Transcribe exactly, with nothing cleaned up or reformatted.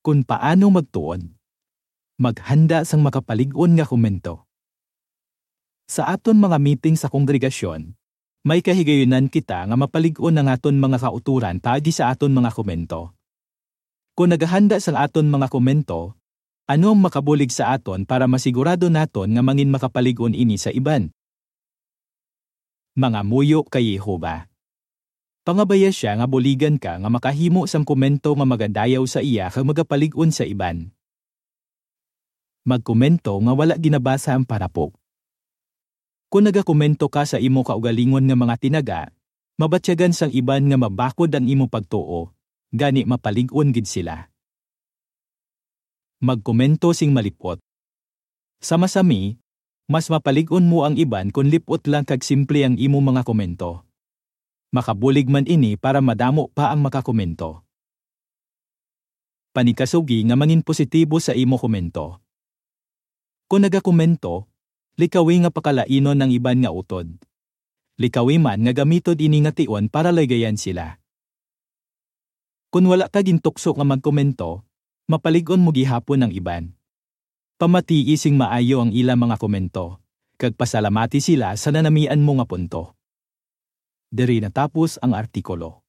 Kon paano magtuon. Maghanda sang makapalig-on nga komento. Sa aton mga meeting sa kongregasyon, may kahigayunan kita nga mapalig-on ang aton mga kautoran paagi sa aton mga komento. Kon nagahanda sang aton mga komento, ano ang makabulig sa aton para masigurado naton nga mangin makapalig-on ini sa iban? Mangamuyo kay Jehovah. Pangabaya sia nga buligan ka nga makahimo sang komento nga magadayaw sa iya kag magapalig-on sa iban. Magkomento nga wala ginabasa ang parapo. Kon nagakomento ka sa imo kaugalingon nga mga tinaga, mabatyagan sang iban nga mabakod ang imo pagtuo, gani mapalig-on gid sila. Magkomento sing malip-ot. Sa masami, mas mapalig-on mo ang iban kon lip-ot lang kag simple ang imo mga komento. Makabulig man ini para madamo pa ang makakomento. Panikasugi nga mangin positibo sa imo komento. Kon nagakomento, likawi nga pakalainon ang iban nga utod. Likawi man nga gamitod ini nga tion para laygayan sila. Kon wala ka gintukso nga magkomento, mapalig-on mo gihapon ang iban. Pamatii sing maayo ang ila mga komento, kag pasalamati sila sa nanamian mo nga punto. Diri natapos ang artikulo.